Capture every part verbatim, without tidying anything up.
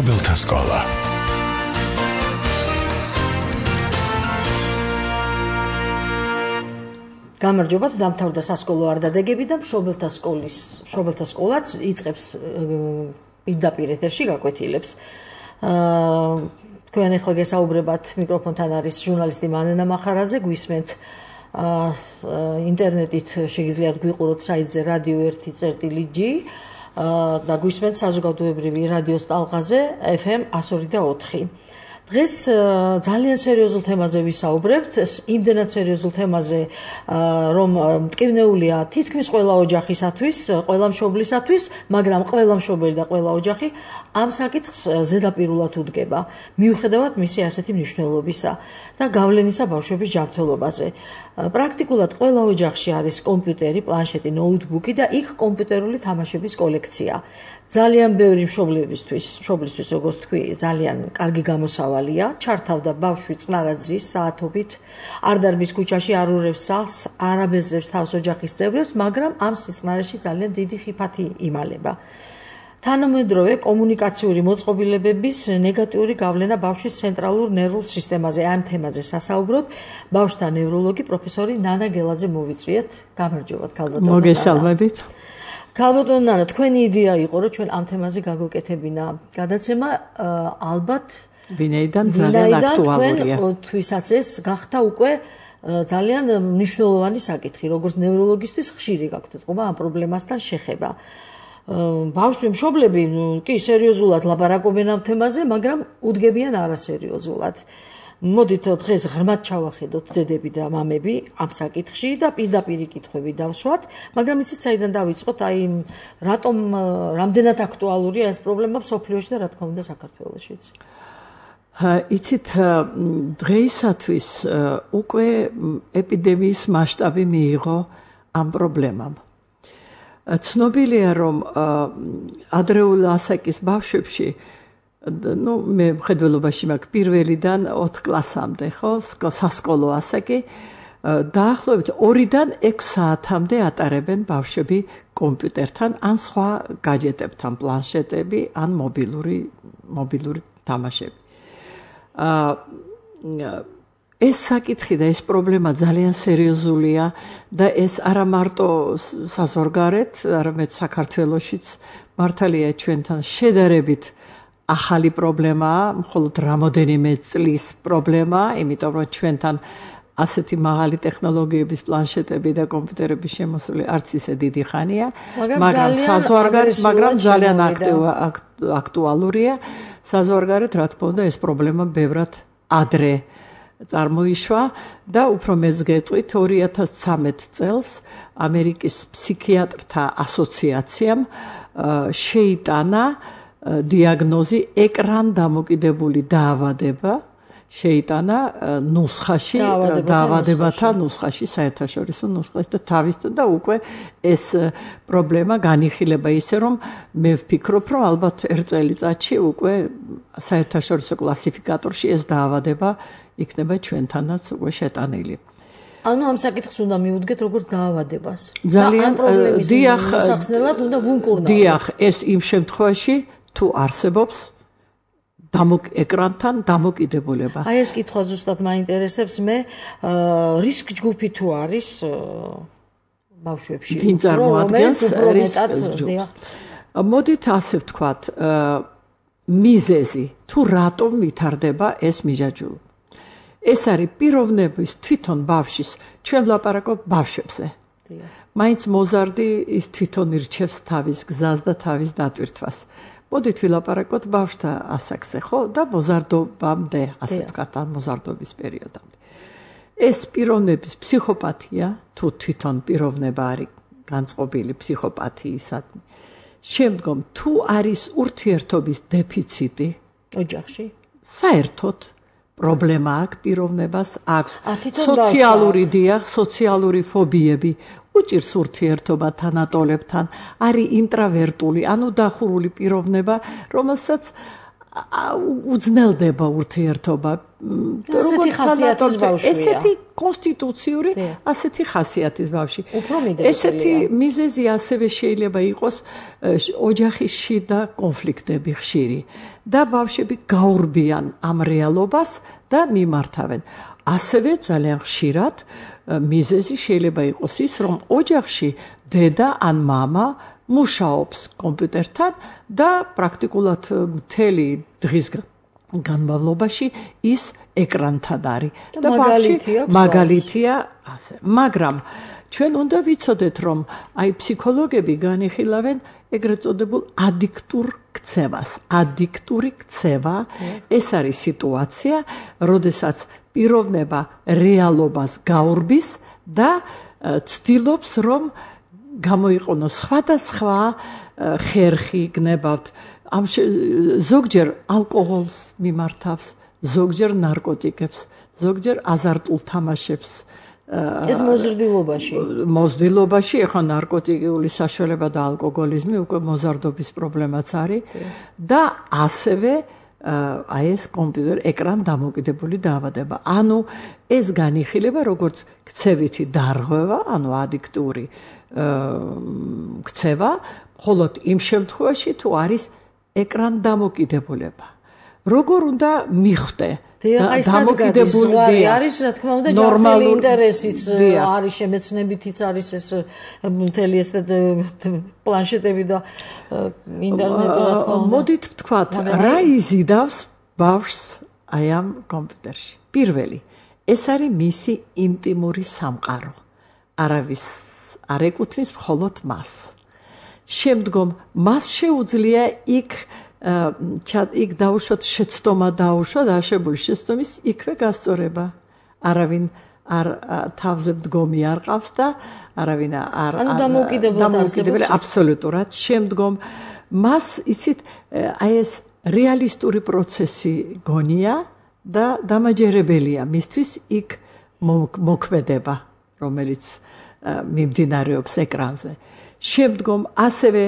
მშობელთა სკოლა. გამარჯობათ, დამთავრდა სასკოლო არდადეგები და მშობელთა სკოლის მშობელთა სკოლაც იწყებს პირდაპირ ეთერში გაკვეთილებს. თქვენ ახლა გესაუბრებათ, მიკროფონთან არის ჟურნალისტი მანენა მახარაძე, გვისმენთ ინტერნეტით შეგიძლიათ გვიყუროთ საიტზე რადიო ერთი წერტილი ჯი და გვისმენთ საზოგადოებრივი რადიოს ტალღაზე ეფ ემ εκατო ორი და ოთხი. დღეს ძალიან სერიოზულ თემაზე ვისაუბრებთ, იმდენად სერიოზულ თემაზე, რომ მტკივნეულია თითქმის ყველა ოჯახისათვის, ყველა მშობლისათვის, მაგრამ ყველა მშობელი და ყველა ოჯახი ამ საკითხს ზედაპირულად უდგება, მიუხედავად მისი ასეთი მნიშვნელობისა და გავლენისა ბავშვების ჯანმრთელობაზე. პრაქტიკულად ყველა ოჯახში არის კომპიუტერი, პლანშეტი, ნოუთბუქი და იქ კომპიუტერული თამაშების კოლექცია. ძალიან ბევრი მშობლებისთვის, მშობლისთვის, როგორც თქვი, ძალიან კარგი გამოსავალია. ჩართავდა ბავშვი წყნარაძის საათობით, არ დარბის ქუჩაში, არ ურევს სახლს, არ აბეზრებს თავს ოჯახის წევრებს, მაგრამ ამ სიწყნარეში ძალიან დიდი ხიფათი იმალება. თანამედროვე კომუნიკაციური მოწყობილებების ნეგატიური გავლენა ბავშვის ცენტრალურ ნერვულ სისტემაზე. ამ თემაზე სასაუბროთ ბავშვთა ნევროლოგი პროფესორი ნანა გელაძე მოვიწვიეთ. გამარჯობათ, ქალბატონო. მოგესალმებით. ქალბატონო ნანა, თქვენი იდეა იყო, რომ ჩვენ ამ თემაზე გაგუკეთებინა გადაცემა, ალბათ ვინაიდან ძალიან აქტუალურია. თქვენთვის ეს გახდა უკვე ძალიან მნიშვნელოვანი საკითხი, როგორც ნევროლოგისთვის ხშირი გაქვთ ეთყობა ამ პრობლემასთან შეხება. ბავშვი მშობლები კი სერიოზულად ლაპარაკობენ ამ თემაზე, მაგრამ უდგებიან არასერიოზულად. მოდით დღეს ღრმად ჩავახედოთ დედები და მამები ამ საკითხში და პირდაპირი კითხვები დავსვათ, მაგრამ იცით საიდან დავიწყოთ, აი რატომ რამდენად აქტუალურია ეს პრობლემა მსოფლიოში და რა თქმა უნდა საქართველოშიც. იცით, დღეისათვის უკვე ეპიდემიის მასშტაბი მიიღო ამ პრობლემამ. ცნობილია, რომ ადრეულ ასაკის ბავშვებში, ну, მე მხედველობაში მაქვს პირველიდან ოთხ კლასამდე, ხო, სასკოლო ასაკი, დაახლოებით ორიდან ექვს საათამდე ატარებენ ბავშვები კომპიუტერთან, ან სხვა გაჯეტებთან, პლანშეტები, ან მობილური მობილური თამაშები. ეს საკითხი და ეს პრობლემა ძალიან სერიოზულია და ეს არა მარტო საზღვარგარეთ, არამედ საქართველოშიც მართალია ჩვენთან შედარებით ახალი პრობლემაა, მხოლოდ რამოდენიმე წლის პრობლემაა, იმიტომ რომ ჩვენთან ასეთი მაღალი ტექნოლოგიების პლანშეტები და კომპიუტერების შემოსული არც ისე დიდი ხანია, მაგრამ საზღვარგარეთ, მაგრამ ძალიან აქტუალურია. საზღვარგარეთ, რა თქმა უნდა, ეს პრობლემა ბევრად ადრე წარმოიშვა და უფრო მეც გეტყვით, ორი ათას ცხრამეტ წელს ამერიკის ფსიქიატრთა ასოციაციამ შეიტანა დიაგნოზი ეკრან დამოკიდებული დაავადება, შეიტანა ნუსხაში, დაავადებათა ნუსხაში, საერთაშორისო ნუსხაში და თავის და უკვე ეს პრობლემა განიხილება ისე, რომ მე ვფიქრობ, რომ ალბათ ერთ წელიწადში უკვე საერთაშორისო კლასიფიკატორში ეს დაავადება იქნება ჩვენთანაც უკვე შეტანილი. ანუ ამ საკითხს უნდა მიუდგეთ როგორც დაავადებას. ძალიან დიახ, სახსნელად უნდა ვუნკურნავთ. დიახ, ეს იმ შემთხვევაში თუ არსებობს დამოკ ეკრანთან დამოკიდებულება. აი ეს კითხვა ზუსტად მაინტერესებს მე, რისკ ჯგუფი თუ არის ბავშვებში. ვინ წარმოადგენს რისკ ჯგუფს? მოდით ასე ვთქვათ, მიზეზი თუ რატომ ვითარდება ეს მიჯაჭვულობა. ეს არის პიროვნების თვითონ ბავშვის, ჩვენ ვლაპარაკობ ბავშვებზე. მაინც მოზარდი ის თვითონ ირჩევს თავის გზას და თავის დატვირთვას. მოდით ვილაპარაკოთ ბავშვთა ასაკზე, ხო? და მოზარდობამდე, ასე ვთქვათ, ან მოზარდობის პერიოდამდე. ეს პიროვნების ფსიქოპათია, თუ თვითონ პიროვნება არის განწყობილი ფსიქოპათიისადმი. შემდგომ თუ არის ურთიერთობის დეფიციტი ოჯახში, საერთოდ პრობლემა აქვს პიროვნებას, აქვს სოციალური დიახ, სოციალური ფობიები, უჭირს ურთიერთობა თანატოლებთან, არის ინტრავერტული, ანუ დახურული პიროვნება, რომელსაც უძნელდება ურთიერთობა. ესეთი ხასიათის ბავშვია. ესეთი კონსტიტუციური, ასეთი ხასიათის ბავშვი. ესეთი მიზეზი ასევე შეიძლება იყოს ოჯახის შიდა კონფლიქტები ხშირი და ბავშვები გაურბიან ამ რეალობას და მიმართავენ. ასევე ძალიან ხშირად მიზეზი შეიძლება იყოს ის, რომ ოჯახში დედა ან მამა მუშაობს კომპიუტერთან და პრაქტიკულად მთელი დღის განმავლობაში ის ეკრანთან არის და მაგალითია მაგალითია ასე. მაგრამ ჩვენ უნდა ვიცოდეთ, რომ აი ფსიქოლოგები განიხილავენ ეგრეთ წოდებულ ადიქტურ ქცევას. ადიქტური ქცევა ეს არის სიტუაცია, როდესაც პიროვნება რეალობას გაურბის და ცდილობს, რომ გამოიყენოს სხვადასხვა ხერხი გნებავთ. ამ ზოგჯერ ალკოჰოლს მიმართავს, ზოგჯერ ნარკოტიკებს, ზოგჯერ აზარტულ თამაშებს. ეს მოზრდილობაში. მოზრდილობაში, ეხლა ნარკოტიკული საშუალება და ალკოჰოლიზმი უკვე მოზარდობის პრობლემაც არის და ასევე აი ეს კომპიუტერ ეკრან დამოკიდებული დაავადება. ანუ ეს განიხილება როგორც ქცევითი დარღვევა, ანუ ადიქტური ქცევა, მხოლოდ იმ შემთხვევაში თუ არის ეკრან დამოკიდებულება. როგორ უნდა მიხვდე? დამოკიდებული არის, რა თქმა უნდა, ჯანმრთელი ინტერესიც არის, შემეცნებითიც არის ეს მთელი ეს პლანშეტები და ინტერნეტი, რა თქმა უნდა. მოდით ვთქვათ, რა იზიდავს ბავშვს აი ამ კომპიუტერში? პირველი, ეს არის მისი ინტიმური სამყარო. არავის არ ეკუთვნის მხოლოდ მას. შემდგომ მას შეუძლია იქ იქ დაუშვათ შეცდომა დაუშვა და აღებული შეცდომის იქვე გასწორება. არავინ არ თავზე მდგომი არ ყავს და არავინ არ ანუ დამოუკიდებლად აბსოლუტურად. შემდგომ მას იცით აი ეს რეალისტური პროცესი გონია და დამაჯერებელია მისთვის იქ მოქმედება, რომელიც მიმდინარეობს ეკრანზე. შემდგომ ასევე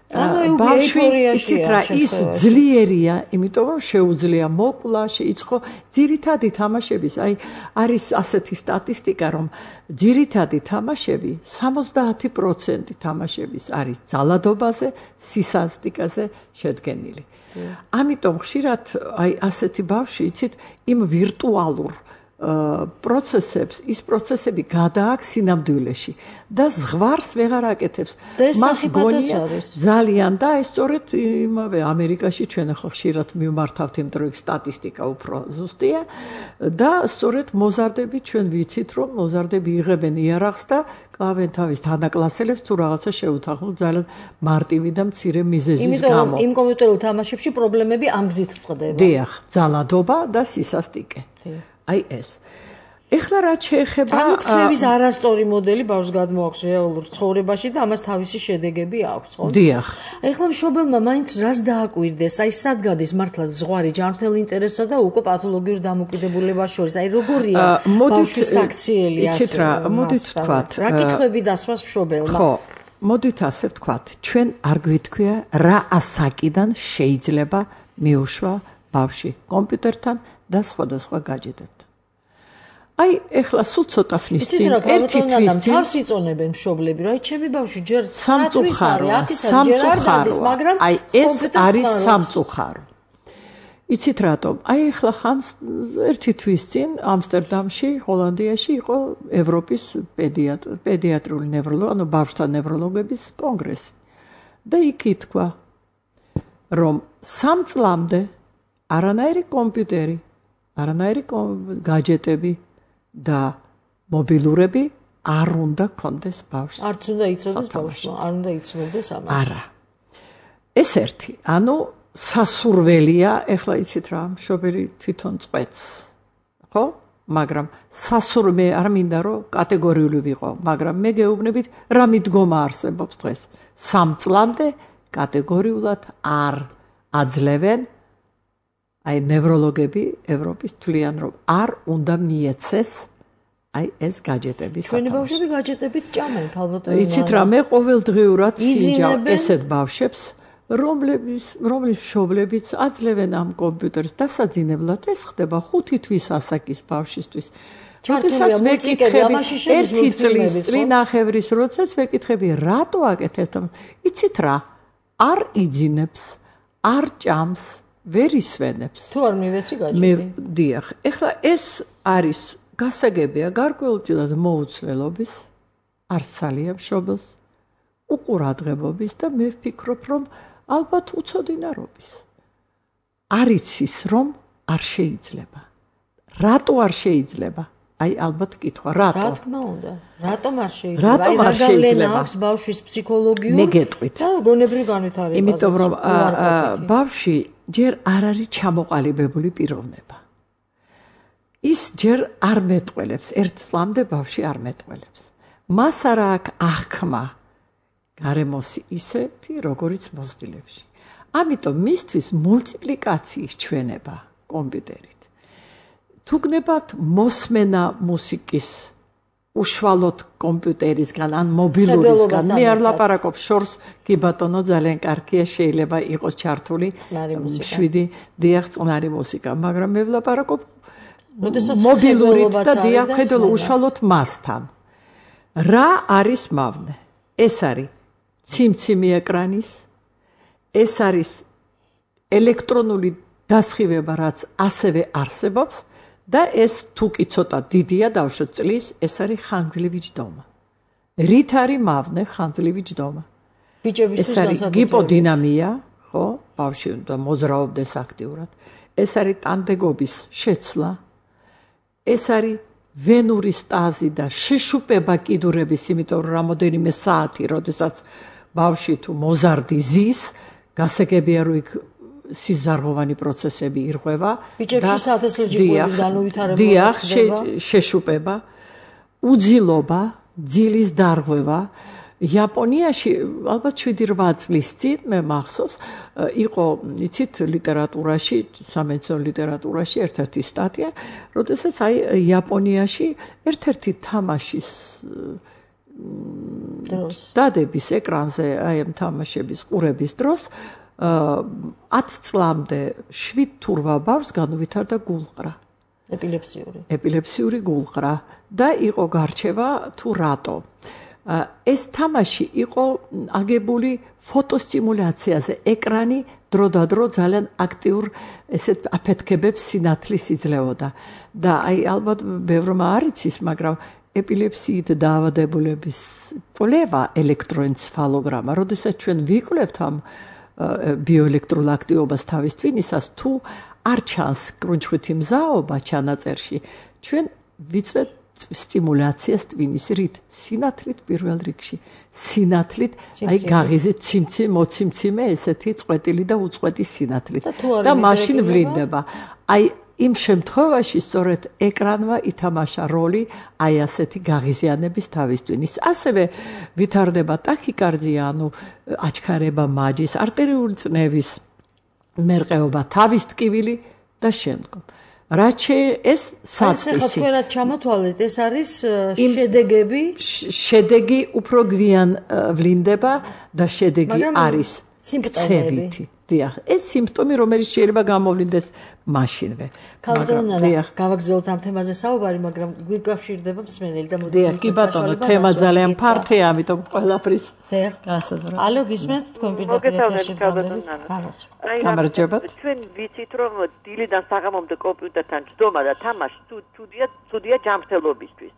ბავშვი იცით რა ის ძლიერია, იმიტომ რომ შეუძლია მოკლა, შეიწყო ძირითადი თამაშების. აი არის ასეთი სტატისტიკა, რომ ძირითადი თამაშები სამოცდაათი პროცენტი თამაშების არის ძალადობაზე, სისასტიკაზე შედგენილი. ამიტომ ხშირად აი ასეთი ბავშვი იცით იმ ვირტუალურ პროცესებს, ის პროცესები გადააქვს სინამდვილეში და ზღვარს ვეღარ აკეთებს. მას გონია ძალიან და ეს სწორედ იმავე ამერიკაში ჩვენ ახლა ხშირად მიმართავთ, იმიტომ რომ სტატისტიკა უფრო ზუსტია და სწორედ მოზარდები ჩვენ ვიცით, რომ მოზარდები იღებენ იარაღს და კლავენ თავის თანაკლასელებს თუ რაღაცა შეუთანხმო ძალიან მარტივი და მცირე მიზეზის გამო. იმიტომ რომ იმ კომპიუტერულ თამაშებში პრობლემები ამ გზით წყდება. დიახ, ძალადობა და სისასტიკე. აი ეს. ეხლა რაც შეეხება ანუ ქცევის არასწორი მოდელი ბავშვს გადმოაქვს რეალურ ცხოვრებაში და ამას თავისი შედეგები აქვს, ხო? დიახ. ეხლა მშობელმა მაინც რას დააკვირდეს? აი სად გადის მართლა ზღვარი ჯანმრთელ ინტერესსა და უკვე პათოლოგიურ დამოკიდებულებას შორის? აი როგორია ბავშვის საქციელი ასე? იცით რა, მოდით ვთქვათ. რა კითხვები დასვას მშობელმა? ხო, მოდით ასე ვთქვათ. ჩვენ არ გვითქვია რა ასაკიდან შეიძლება მიუშვა ბავშვი კომპიუტერთან და სხვადასხვა გაჯეტებთან. აი, ეხლა სულ ცოტა ხნის წინ ერთი თვის წინ თავს იწონებენ მშობლები, რა, ჩემი ბავშვი ჯერ სამწუხაროა, სამწუხაროა, მაგრამ აი ეს არის სამწუხარო. იცით რატომ? აი, ეხლა ხანს ერთი თვის წინ ამსტერდამში, ჰოლანდიაში იყო ევროპის პედიატრიული ნევროლოგი, ანუ ბავშვთა ნევროლოგების კონგრესი. და იქ ითქვა, რომ სამ წლამდე არანაირი კომპიუტერი, არანაირი გაჯეტები და მობილურები არ უნდა კონდეს ბავშვს. არც უნდა იცოდეს ბავშვმა, არ უნდა იცნობდეს ამას. არა. ეს ერთი, ანუ სასურველია, ეხლა იცით რა, მშობელი თვითონ წყვეტს. ხო? მაგრამ სასურვე არ მინდა რომ კატეგორიული ვიყო, მაგრამ მე გეუბნებით რა მიდგომა არსებობს დღეს. სამ წლამდე კატეგორიულად არ აძლევენ აი ნევროლოგები ევროპის თვლიან რომ არ უნდა მიეცეს აი ეს გაჯეტები სათავეში. ჩვენი ბავშვები გაჯეტებით ჭამენ ალბათ. იცით რა, მე ყოველდღიურად სინჯავ ესეთ ბავშვებს, რომლების რომლის მშობლებიც აძლევენ ამ კომპიუტერს დასაძინებლად ეს ხდება ხუთი თვის ასაკის ბავშვისთვის. როდესაც ვეკითხები ერთი წლის წლინახევრის როდესაც ვეკითხები რატო აკეთებთ? იცით რა? არ იძინებს, არ ჭამს, ვერ ისვენებს. თუ არ მივეცი გაჭირი. მე დიახ. ეხლა ეს არის გასაგებია გარკვეულწილად მოუცვლელობის, არც ძალიან მშობელს, უყურადღებობის და მე ვფიქრობ, რომ ალბათ უცოდინარობის. არ იცის, რომ არ შეიძლება. რატო არ შეიძლება? აი ალბათ კითხვა, რატო? რა თქმა უნდა. რატომ არ შეიძლება? რატომ არ შეიძლება? აქვს ბავშვის ფსიქოლოგიურ მე გეტყვით. და გონებრივ განვითარებას. იმიტომ რომ ბავშვი ჯერ არ არის ჩამოყალიბებული პიროვნება. ის ჯერ არ მეტყველებს, ერთ წლამდე ბავშვი არ მეტყველებს. მას არ აქვს აღქმა გარემოსი ისეთი, როგორიც მოზრდილებში. ამიტომ მისთვის მულტიპლიკაციის ჩვენება კომპიუტერით. თუ გნებავთ მოსმენა მუსიკის უშუალოდ კომპიუტერისგან ან მობილურისგან, მე არ ლაპარაკობ შორს, კი ბატონო, ძალიან კარგია, შეიძლება იყოს ჩართული შვიდი დიახ წყნარი მუსიკა, მაგრამ მე ვლაპარაკობ მობილურით და დიახ ხედავ უშუალოდ მასთან. რა არის მავნე? ეს არის ციმციმი ეკრანის, ეს არის ელექტრონული დასხივება, რაც ასევე არსებობს და ეს თუ კი ცოტა დიდია დავუშვათ წლის, ეს არის ხანგრძლივი ჯდომა. რით არის მავნე ხანგრძლივი ჯდომა? ბიჭებისთვის განსაკუთრებით. გიპოდინამია, ხო, ბავშვი უნდა მოძრაობდეს აქტიურად. ეს არის ტანდეგობის შეცვლა. ეს არის ვენური სტაზი და შეშუპება კიდურების, იმიტომ რომ რამოდენიმე საათი, როდესაც ბავშვი თუ მოზარდი ზის, გასაგებია რომ იქ სიზარღოვანი პროცესები ირღვევა. ბიჭებში საათესლეჯიყვების განუვითარებლობა ხდება. შეშუპება, უძილობა, ძილის დარღვევა. იაპონიაში ალბათ შვიდი რვა წლის წინ მე მახსოვს იყო იცით ლიტერატურაში, სამეცნიერო ლიტერატურაში ერთ-ერთი სტატია, როდესაც აი იაპონიაში ერთ-ერთი თამაშის დადების ეკრანზე აი ამ თამაშების ყურების დროს ათ წლამდე შვიდ თუ რვა ბავშვს განუვითარდა გულყრა. ეპილეფსიური. ეპილეფსიური გულყრა და იყო გარჩევა თუ რატო. ეს თამაში იყო აგებული ფოტოსტიმულაციაზე. ეკრანი დროდადრო ძალიან აქტიურ ესეთ აფეთქებებს სინათლის იძლეოდა. და აი ალბათ ბევრმა არ იცის, მაგრამ ეპილეფსიით დაავადებულების კვლევა ელექტროენცეფალოგრამა, როდესაც ჩვენ ვიკვლევთ ამ ბიოელექტრულ აქტივობას თავის ტვინისას, თუ არ ჩანს კრუნჩხვითი მზაობა ჩანაწერში, ჩვენ ვიწვევთ სტიმულაციას ტვინის რით, სინათლით პირველ რიგში. სინათლით, აი გაღიზეთ ციმციმ, მოციმციმე ესეთი წვეტილი და უწყვეტი სინათლით და მაშინ ვლინდება. აი იმ შემთხვევაში სწორედ ეკრანმა ითამაშა როლი აი ასეთი გაღიზიანების თავის ტვინის. ასევე ვითარდება ტაქიკარდია, ანუ აჩქარება მაჯის, არტერიული წნევის მერყეობა, თავის ტკივილი და შემდგომ. რაც ეს საწყისი. ეს ახლა თქვენად ჩამოთვალეთ, ეს არის შედეგები? შედეგი უფრო გვიან ვლინდება და შედეგი არის სიმპტომები. დიახ, ეს სიმპტომი, რომელიც შეიძლება გამოვლინდეს მაშინვე. დიახ, გავაგრძელოთ ამ თემაზე საუბარი, მაგრამ გვიკავშირდება მსმენელი და მოდი. დიახ, კი ბატონო, თემა ძალიან ფართია, ამიტომ ყველაფრის გასაზრდა. ალო, გისმენთ თქვენ პირდაპირ ეთერში გზადებით? გამარჯობა. ჩვენ ვიცით, რომ დილიდან საღამომდე კომპიუტერთან ჯდომა და თამაში თუდია, თუდია ჯანმრთელობისთვის.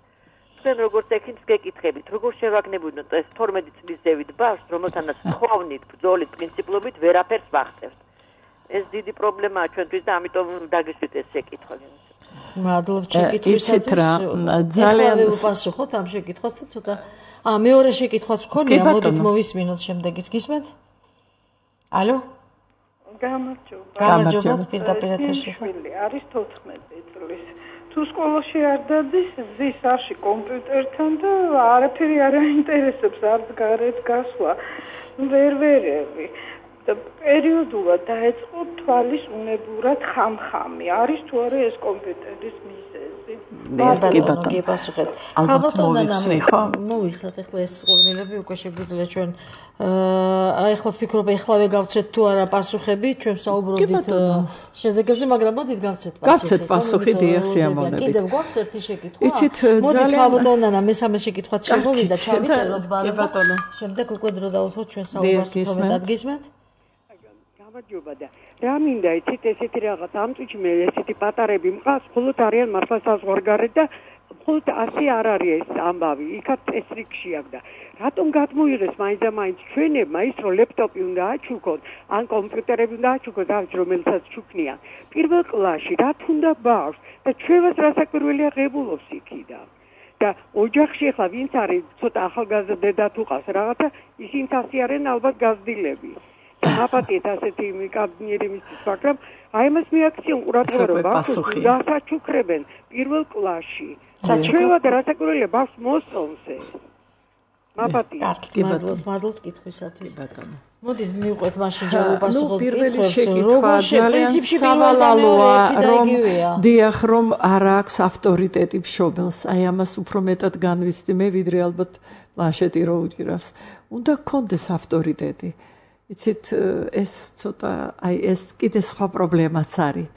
თქვენ როგორც ექიმს გეკითხებით, როგორ შევაგნებოდეთ ეს თორმეტი წლის ზევით ბავშვს, რომელთანაც თხოვნით, ბრძოლით, პრინციპლობით ვერაფერს ვახტევთ. ეს დიდი პრობლემაა ჩვენთვის და ამიტომ დაგესვით ეს შეკითხვა. მადლობთ შეკითხვისათვის. იცით რა, ძალიან უპასუხოთ ამ შეკითხვას თუ ცოტა. ა მეორე შეკითხვაც მქონია, მოდით მოვისმინოთ შემდეგის. გისმენთ? ალო? გამარჯობა. გამარჯობა, პირდაპირ ეთერში. არის თოთხმეტი წლის. თუ სკოლაში არ დადის, ზის არში კომპიუტერთან და არაფერი არ აინტერესებს, არც გარეთ გასვლა, ვერ ვერევი. და პერიოდულად დაეწყო თვალის უნებურად ხამხამი. არის თუ არა ეს კომპიუტერის მიზეზი? კი ბატონო. კი პასუხეთ. ალბათ მოვიხსნი ხო? მოვიხსნათ ახლა ეს ყურმილები უკვე შეგვიძლია ჩვენ აი ახლა ვფიქრობ ეხლავე გავცეთ თუ არა პასუხები, ჩვენ საუბრობდით შედეგებზე, მაგრამ მოდით გავცეთ პასუხი. გავცეთ პასუხი დიახ სიამოვნებით. კიდევ გვაქვს ერთი შეკითხვა? იცით მოდით ავდონანა მესამე შეკითხვაც შემოვიდა, ჩავიწეროთ კი ბატონო. შემდეგ უკვე დრო დავუთმოთ ჩვენ საუბარს უფრო მეტად გისმენთ? გამარჯობა და რა მინდა იცით ესეთი რაღაც ამ წუთში მე ესეთი პატარები მყავს, მხოლოდ არიან მართლა საზღვარგარეთ და მხოლოდ ასე არ არის ეს ამბავი. იქაც წესრიგში აქვს და რატომ გადმოიღეს მაინც და მაინც ჩვენებმა ის რომ ლეპტოპი უნდა აჩუქოთ, ან კომპიუტერები უნდა აჩუქოთ, ავით რომელსაც ჩუქნიან. პირველ კლასში რა თუნდა ბავშვს და ჩვენს რასაკვირველია ღებულობს იქიდან. და ოჯახში ახლა ვინც არის ცოტა ახალგაზრდა დედა თუ ყავს რაღაცა, ისინი ასე არიან ალბათ გაზრდილები. აპატიეთ ასეთი კაბინეტი მისთვის, მაგრამ აი მას მიაქციონ ყურადღება რომ ბავშვს დასაჩუქრებენ პირველ კლასში. საჩუქრება და რასაკვირველია ბავშვს მოსწონს ეს. აპატიეთ. კი მადლობთ, მადლობთ კითხვისათვის ბატონო. მოდით მივყვეთ მაშინ ჯავაპასუხოთ პირველი შეკითხვა ძალიან სავალალოა, რომ დიახ რომ არ აქვს ავტორიტეტი მშობელს. აი ამას უფრო მეტად განვიცდი მე ვიდრე ალბათ პლანშეტი რო უჭირავს. უნდა გქონდეს ავტორიტეტი. იცით ეს ცოტა აი ეს კიდე სხვა პრობლემაც არის.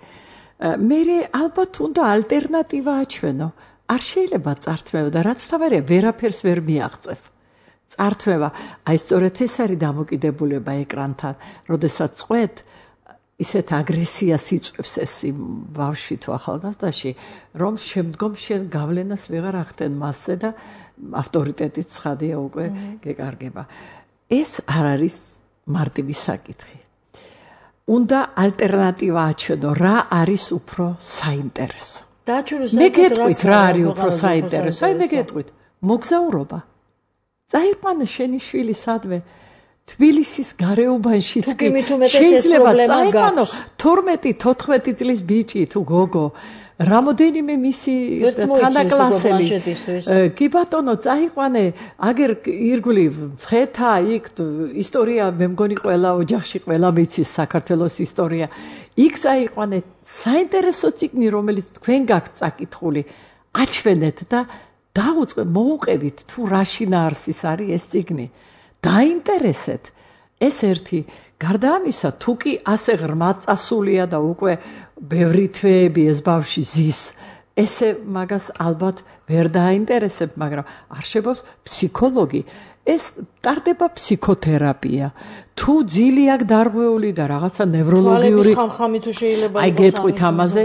მე ალბათ უნდა ალტერნატივა აჩვენო. არ შეიძლება წართმევა და რაც თავარია ვერაფერს ვერ მიაღწევ. წართმევა, აი სწორედ ეს არის დამოკიდებულება ეკრანთან, როდესაც წყვეთ ისეთ აგრესიას იწვევს ეს ბავშვი თუ ახალგაზრდაში, რომ შემდგომ შენ გავლენას ვეღარ ახდენ მასზე და ავტორიტეტიც ცხადია უკვე გეკარგება. ეს არ არის მარტივი საკითხი. უნდა ალტერნატივა აჩვენო, რა არის უფრო საინტერესო. მე გეტყვით რა არის უფრო საინტერესო, აი მე გეტყვით, მოგზაურობა. წაიყვანე შენი შვილი სადმე თბილისის გარეუბანშიც კი შეიძლება წაიყვანო თორმეტი თოთხმეტი წლის ბიჭი თუ გოგო რამოდენიმე მისი თანაკლასელი კი ბატონო წაიყვანე აგერ ირგვლივ მცხეთა იქ ისტორია მე მგონი ყველა ოჯახში ყველა მიცის საქართველოს ისტორია იქ წაიყვანე საინტერესო წიგნი რომელიც თქვენ გაქვთ წაკითხული აჩვენეთ და დაუწყე მოუყევით თუ რა შინაარსის არის ეს წიგნი დაინტერესეთ ეს ერთი გარდა ამისა თუ კი ასე ღრმად წასულია და უკვე ბევრი თვეები ეს ბავშვი ზის ესე მაგას ალბათ ვერ დაინტერესებ მაგრამ არ შეგობს ფსიქოლოგი ეს ტარდება ფსიქოთერაპია თუ ძილი აქვს დარღვეული და რაღაცა ნევროლოგიური ხამხამი თუ შეიძლება აი გეტყვით ამაზე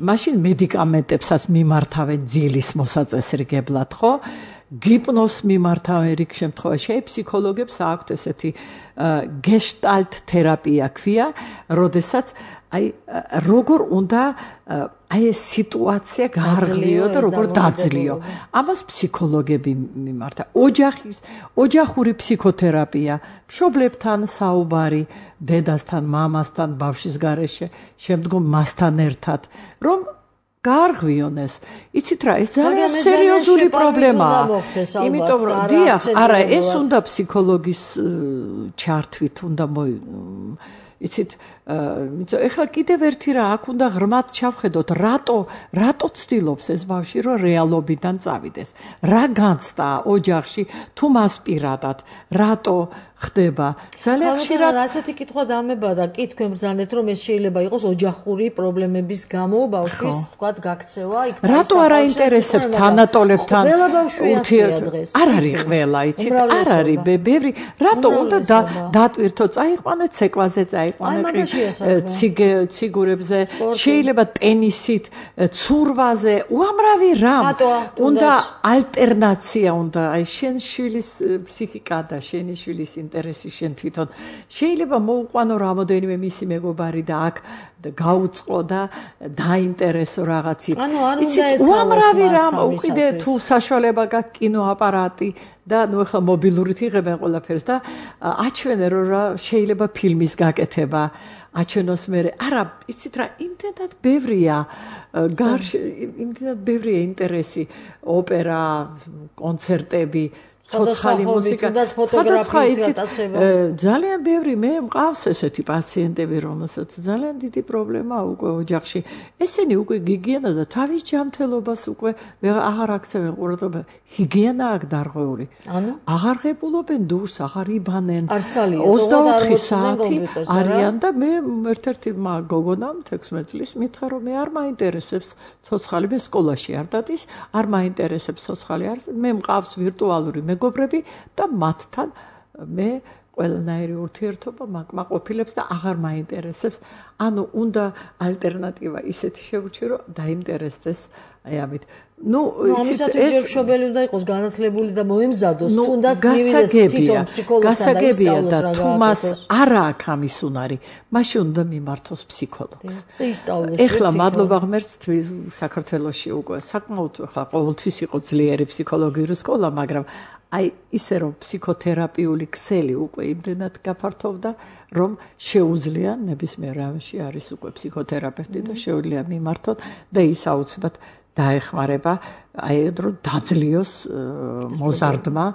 მაშინ მედიკამენტებსაც მიმართავენ ძილის მოსაწესრიგებლად ხო გიპნოზს მიმართავენ რიგ შემთხვევაში აი ფსიქოლოგებს აქვთ ესეთი გეშტალტ თერაპია ქვია როდესაც აი როგორ უნდა აი ეს სიტუაცია გაარღვიო და როგორ დაძლიო ამას ფსიქოლოგები მიმართა ოჯახის ოჯახური ფსიქოთერაპია მშობლებთან საუბარი დედასთან მამასთან ბავშვის გარეშე შემდგომ მასთან ერთად რომ გაარღვიონ ეს იცით რა ეს ძალიან სერიოზული პრობლემაა იმიტომ რომ დიახ არა ეს უნდა ფსიქოლოგის ჩართვით უნდა იცით ეხლა კიდევ ერთი რა აქ უნდა ღრმად ჩავხედოთ რატო რატო ცდილობს ეს ბავშვი რომ რეალობიდან წავიდეს რა განცდა ოჯახში თუ მას პირადად რატო ხდება ძალიან ხშირად ასეთი კითხვა დამებადა კი თქვენ ბრძანეთ რომ ეს შეიძლება იყოს ოჯახური პრობლემების გამო ბავშვის თქვათ გაქცევა იქ რატო არ აინტერესებს თანატოლებთან ურთიერთობა არ არის ყველა იცით არ არის ბევრი რატო უნდა დატვირთო წაიყვანეთ ცეკვაზე წაიყვანეთ ციგურებზე შეიძლება ტენისით ცურვაზე უამრავი რამ უნდა ალტერნაცია უნდა აი შენ შვილის ფსიქიკა და შენი შვილის ინტერესი შენ თვითონ შეიძლება მოუყვანო რამოდენიმე მისი მეგობარი და აქ გაუწყო და დაინტერესო რაღაც ანუ არ უნდა ეცალოს უამრავი რამ უკიდე თუ საშუალება გაქვს კინოაპარატი და ნუ ახლა მობილურით იღებენ ყველაფერს და აჩვენე რომ რა შეიძლება ფილმის გაკეთება აჩვენოს მე არა იცით რა იმდენად ბევრია გარშ იმდენად ბევრია ინტერესი ოპერა კონცერტები ცოცხალი მუსიკა, სხვადასხვა იცით, ძალიან ბევრი მე მყავს ესეთი პაციენტები, რომელსაც ძალიან დიდი პრობლემა უკვე ოჯახში. ესენი უკვე გიგიენა და თავის ჯანმრთელობას უკვე აღარ აქცევენ ყურადღებას. ჰიგიენა აქ დარღვეული. ანუ აღარ ღებულობენ დურს, აღარ იბანენ. ოცდაოთხი საათი არიან და მე ერთ-ერთი გოგონამ თექვსმეტ წლის მითხრა რომ მე არ მაინტერესებს ცოცხალი, მე სკოლაში არ დადის, არ მაინტერესებს ცოცხალი, არ მე მყავს ვირტუალური მეგობრები და მათთან მე ყველანაირი ურთიერთობა მაკმაყოფილებს და აღარ მაინტერესებს. ანუ უნდა ალტერნატივა ისეთი შევუჩიო რომ დაინტერესდეს აი ამით. ნუ ამისათვის ჯერ მშობელი უნდა იყოს განათლებული და მოემზადოს, თუნდაც მივიდეს თვითონ ფსიქოლოგთან და ისწავლოს რა თუ მას არ აქვს ამის უნარი, მაშინ უნდა მიმართოს ფსიქოლოგს. ისწავლოს. ეხლა მადლობა ღმერთს საქართველოში უკვე საკმაოდ ხა ყოველთვის იყო ძლიერი ფსიქოლოგიური სკოლა, მაგრამ აი ისე რომ ფსიქოთერაპიული ქსელი უკვე იმდენად გაფართოვდა, რომ შეუძლია ნებისმიერ რამში არის უკვე ფსიქოთერაპევტი და შეუძლია მიმართოთ და ის აუცილებლად დაეხმარება აი რომ დაძლიოს მოზარდმა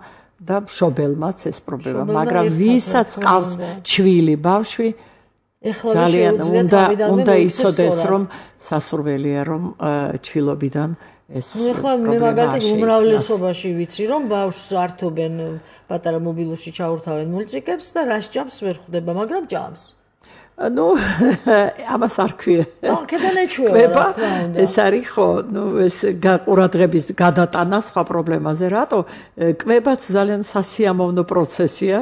და მშობელმაც ეს პრობლემა, მაგრამ ვისაც ყავს ჩვილი ბავშვი ძალიან უნდა უნდა იცოდეს რომ სასურველია რომ ჩვილობიდან ეს ეხლა მე მაგალითად უმრავლესობაში ვიცი რომ ბავშვს ართობენ პატარა მობილოში ჩაურთავენ მულტიკებს და რას ჭამს ვერ ხვდება, მაგრამ ჭამს. ნუ ამას არ ქვია. აა კედან ეჩვევა რა თქმა უნდა. ეს არის ხო, ნუ ეს ყურადღების გადატანა სხვა პრობლემაზე, რატო? კვებაც ძალიან სასიამოვნო პროცესია.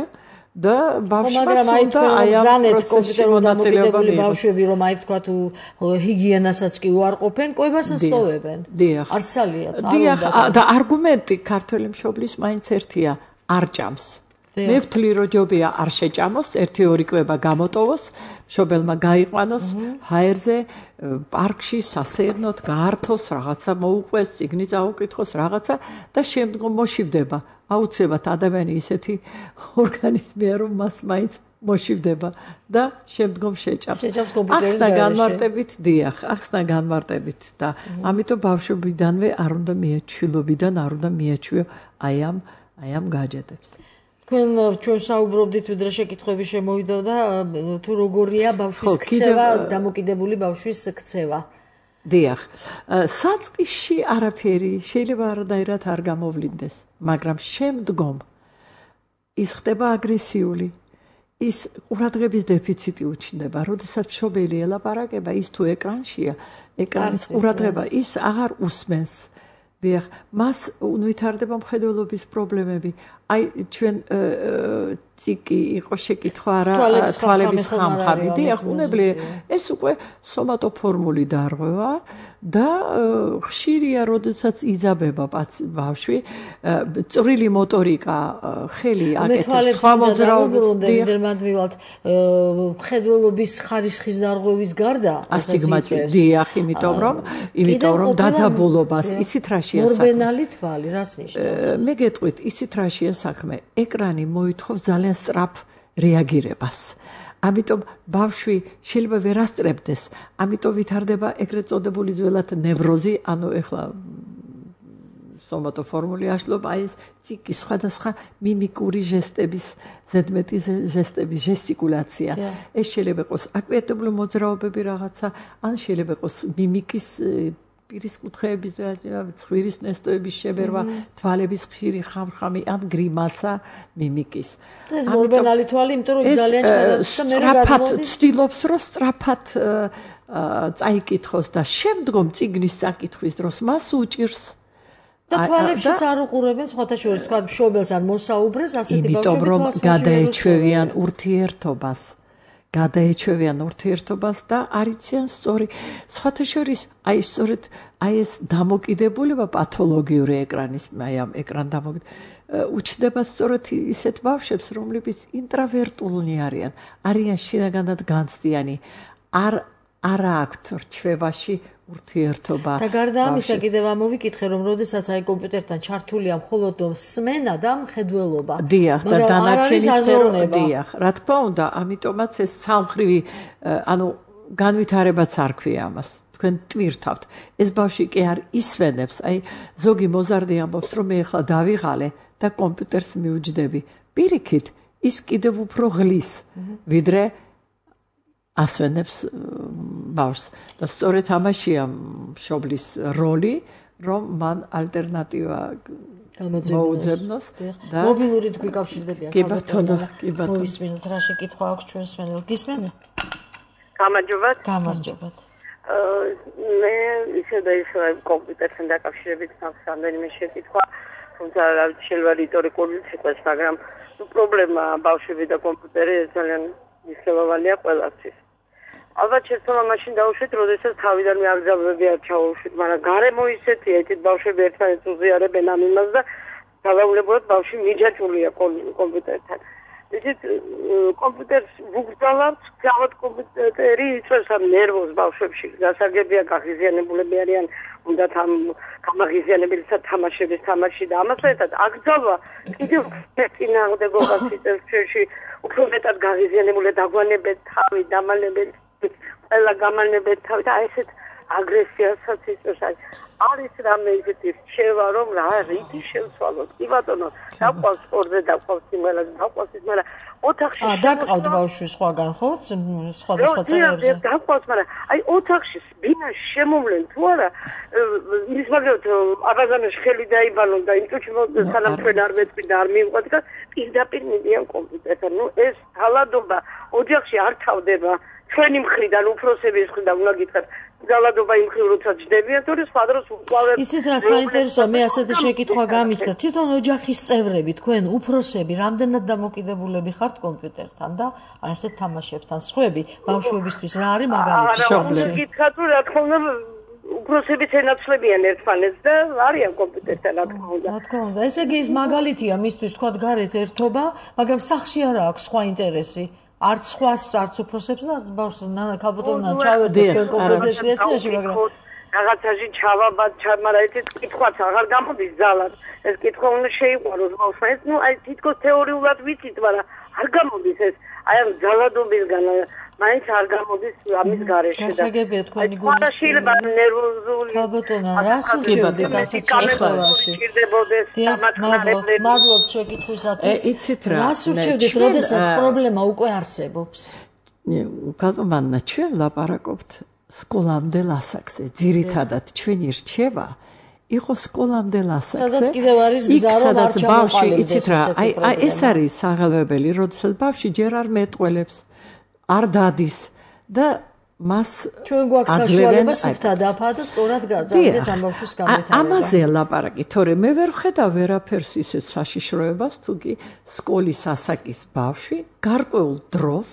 და ბავშვებს უნდა აი ამ პროცესში მონაწილეობა მიიღოს. ბავშვები რომ აი თქვა თუ ჰიგიენასაც კი უარყოფენ, კვებასაც ტოვებენ. არ სალიათ. დიახ, და არგუმენტი ქართველი მშობლის მაინც ერთია, არ ჭამს. მე ვთვლი რომ ჯობია არ შეჭამოს, ერთი ორი კვება გამოტოვოს, მშობელმა გაიყვანოს ჰაერზე, პარკში სასეირნოდ გაართოს, რაღაცა მოუყვეს, წიგნი წაუკითხოს, რაღაცა და შემდგომ მოშივდება. აუცილებლად ადამიანი ისეთი ორგანიზმია, რომ მას მაინც მოშივდება და შემდგომ შეჭამს. ახსნა განმარტებით, დიახ, ახსნა განმარტებით და ამიტომ ბავშვობიდანვე არ უნდა მიეჩვილობიდან არ უნდა მიეჩვიო აი ამ აი ამ გაჯეტებს. თქვენ ჩვენ საუბრობდით, ვიდრე შეკითხვები შემოვიდა და თუ როგორია ბავშვის ქცევა, დამოკიდებული ბავშვის ქცევა. დიახ, საწყისში არაფერი შეიძლება არადაირად არ გამოვლინდეს, მაგრამ შემდგომ ის ხდება აგრესიული. ის ყურადღების დეფიციტი უჩნდება, როდესაც მშობელი ელაპარაკება, ის თუ ეკრანშია, ეკრანის ყურადღება ის აღარ უსმენს. დიახ, მას უნვითარდება მხედველობის პრობლემები. აი ჩვენ ციკი იყო შეკითხვა რა თვალების ხამხამი. დიახ, უნებლიე ეს უკვე სომატოფორმული დარღვევა და ხშირია, როდესაც იძაბება ბავშვი, წვრილი მოტორიკა, ხელი აკეთებს, სხვა მოძრაობები. დიახ, მივალთ მხედველობის ხარისხის დარღვევის გარდა ასტიგმატი. დიახ, იმიტომ რომ იმიტომ რომ დაძაბულობას იცით რა მორბენალი თვალი, რას ნიშნავს? მე გეტყვით, იცით რა შეა საქმე? ეკრანი მოითხოვს ძალიან სწრაფ რეაგირებას. ამიტომ ბავშვი შეიძლება ვერ ასწრებდეს, ამიტომ ვითარდება ეგრეთ წოდებული ძველად ნევროზი, ანუ ეხლა სომატოფორმული აშლობა, ეს ციკი, სხვადასხვა მიმიკური ჟესტების, ზედმეტი ჟესტების, ჟესტიკულაცია. ეს შეიძლება იყოს აკვიატებული მოძრაობები რაღაცა, ან შეიძლება იყოს მიმიკის პირის კუთხეების, ცხვირის ნესტოების შებერვა, თვალების ხშირი ხამხამი, ან გრიმასა მიმიკის. ეს მორბენალი თვალი, იმიტომ რომ ძალიან სწრაფად ცდილობს, რომ სწრაფად წაიკითხოს და შემდგომ წიგნის წაკითხვის დროს მას უჭირს. და თვალებშიც არ უყურებენ, სხვათა შორის თქვა მშობელს ან მოსაუბრეს, ასეთი ბავშვები იმიტომ რომ გადაეჩვევიან ურთიერთობას. გადაეჩვევიან ურთიერთობას და არიციან სწორი. სხვათა შორის აი სწორედ აი ეს დამოკიდებულება პათოლოგიური ეკრანის, აი ამ ეკრან დამოკიდებულება უჩნდება სწორედ ისეთ ბავშვებს, რომლებიც ინტრავერტულნი არიან, არიან შინაგანად განცდიანი, არ არა აქვთ რჩევაში ურთიერთობა. და გარდა ამისა კიდევ ამოვიკითხე, რომ როდესაც აი კომპიუტერთან ჩართულია მხოლოდ სმენა და მხედველობა. დიახ, და დანარჩენი სფერო, დიახ, რა თქმა უნდა, ამიტომაც ეს სამხრივი, ანუ განვითარებაც არ ქვია ამას. თქვენ ტვირთავთ. ეს ბავშვი კი არ ისვენებს. აი ზოგი მოზარდი ამბობს, რომ მე ახლა დავიღალე და კომპიუტერს მიუჯდები. პირიქით ის კიდევ უფრო ღლის, ვიდრე ასვენებს ბავშვს. და სწორედ ამაშია მშობლის როლი, რომ მან ალტერნატივა გამოუძებნოს და მობილურით გვიკავშირდებიან. კი ბატონო, კი ბატონო. მოვისმინოთ რა შეკითხვა აქვს ჩვენს მენელს. გისმენთ? გამარჯობათ. გამარჯობათ. მე ისე და ისე კომპიუტერთან დაკავშირებით მაქვს რამდენიმე შეკითხვა, თუმცა რა ვიცი შეიძლება რიტორიკული იყოს, მაგრამ ნუ პრობლემა ბავშვები და კომპიუტერი ძალიან მნიშვნელოვანია ყველასთვის. ალბათ შეცდომა მაშინ დაუშვით, როდესაც თავიდან მეაგზავნები არ ჩაუშვით, მაგრამ გარემო ისეთია, ეთით ბავშვები ერთმანეთს უზიარებენ ამ იმას და დავაულებოთ ბავშვი მიჯაჭვულია კომპიუტერთან. იცით, კომპიუტერს ვუგრძალებთ, გავად კომპიუტერი იწვევს ამ ნერვოს ბავშვებში, გასაგებია გაღიზიანებულები არიან, უნდათ ამ გამაღიზიანებელთა თამაშების თამაში და ამასთან ერთად აკრძალვა კიდევ წინააღმდეგობას იწევს ჩვენში, უფრო მეტად გაღიზიანებული დაგვანებეთ თავი, დამალებით ყველა გამალებით თავი და ესეთ აგრესიასაც იწევს. არის რამე ისეთი რჩევა, რომ რა რითი შევცვალოთ. კი ბატონო, დაყვავს სპორტზე, დაყვავს სიმღერაზე, დაყვავს ის, მაგრამ ოთახში აა დაკავთ ბავშვი სხვაგან, ხო? სხვადასხვა წევრებზე. დაყვავს, მაგრამ აი ოთახში ბინაში შემოვლენ თუ არა, ის მაგათ აბაზანაში ხელი დაიბალონ და იმ წუთში სანამ თქვენ არ მეწვი და არ მივყვეთ და პირდაპირ მიდიან კომპიუტერთან. ნუ ეს თალადობა ოჯახში არ თავდება. ჩვენი მხრიდან, უფროსების მხრიდან უნდა გითხრათ, ძალადობა იმ მხრივ როცა ჯდებიან, თორე სხვა დროს უყავენ. ისეთ რა საინტერესოა, მე ასეთი შეკითხვა გამიჩნდა. თვითონ ოჯახის წევრები, თქვენ უფროსები, რამდენად დამოკიდებულები ხართ კომპიუტერთან და ასეთ თამაშებთან? სხვები ბავშვებისთვის რა არის მაგალითი? არა, გითხრათ, რომ რა თქმა უნდა უფროსებიც ენაცვლებიან ერთმანეთს და არიან კომპიუტერთან, რა თქმა უნდა. რა თქმა უნდა, ესე იგი ეს მაგალითია მისთვის, თქვა გარეთ ერთობა, მაგრამ სახლში არა აქვს სხვა ინტერესი. არც სხვას, არც უფროსებს და არც ბავშვს ქალბატონმა ჩავერდეთ თქვენ კომპოზიციაში, მაგრამ რაღაცაში ჩავაბად, მაგრამ ეს კითხვაც აღარ გამოდის ძალად. ეს კითხვა უნდა შეიყვაროს ბავშვმა. ეს ნუ აი თითქოს თეორიულად ვიცით, მაგრამ არ გამოდის ეს. აი ამ ძალადობისგან მაინც არ გამოდის ამის გარეშე და გასაგებია თქვენი გულის. არა შეიძლება ნერვოზული. ქალბატონო, რას ურჩევდით ასეთ შეხვედრაში? მადლობთ შეკითხვისათვის. იცით რა, რას ურჩევდით, როდესაც პრობლემა უკვე არსებობს? ქალბატონო, ჩვენ ლაპარაკობთ სკოლამდე ასაკზე. ძირითადად ჩვენი რჩევა იყო სკოლამდე ასაკზე. სადაც კიდევ არის გზა, რომ არ ჩამოყალიბდეს იცით რა, აი აი ეს არის საღელვებელი, როდესაც ბავშვი ჯერ არ მეტყველებს, არ დადის და მას ჩვენ გვაქვს საშუალება სუფთა დაფა და სწორად გაგზავნდეს ამ ბავშვის განვითარება. ამაზე ლაპარაკი, თორე მე ვერ ვხედავ ვერაფერს ისეთ საშიშროებას, თუ კი სკოლის ასაკის ბავშვი გარკვეულ დროს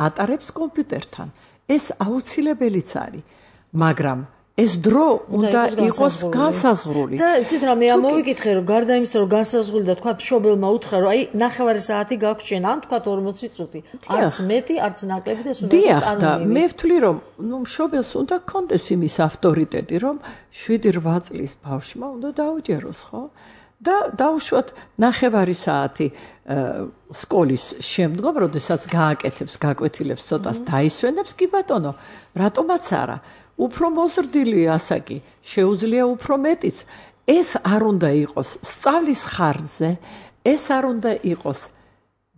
ატარებს კომპიუტერთან. ეს აუცილებელიც არის, მაგრამ ეს დრო უნდა იყოს განსაზღვრული. და იცით რა, მე ამოვიკითხე, რომ გარდა იმისა, რომ განსაზღვრული და თქვა მშობელმა უთხრა, რომ აი ნახევარი საათი გაქვს შენ, ან თქვა ორმოცი წუთი. არც მეტი, არც ნაკლები და ეს უნდა იყოს კანონიერი. მე ვთვლი, რომ ნუ მშობელს უნდა კონდეს იმის ავტორიტეტი, რომ შვიდი რვა წლის ბავშვმა უნდა დაუჯეროს, ხო? და დაუშვათ ნახევარი საათი სკოლის შემდგომ, როდესაც გააკეთებს, გაკვეთილებს, ცოტას დაისვენებს, კი ბატონო, რატომაც არა? უფრო მოზრდილი ასაკი, შეუძლია უფრო მეტიც. ეს არ უნდა იყოს სწავლის ხარჯზე, ეს არ უნდა იყოს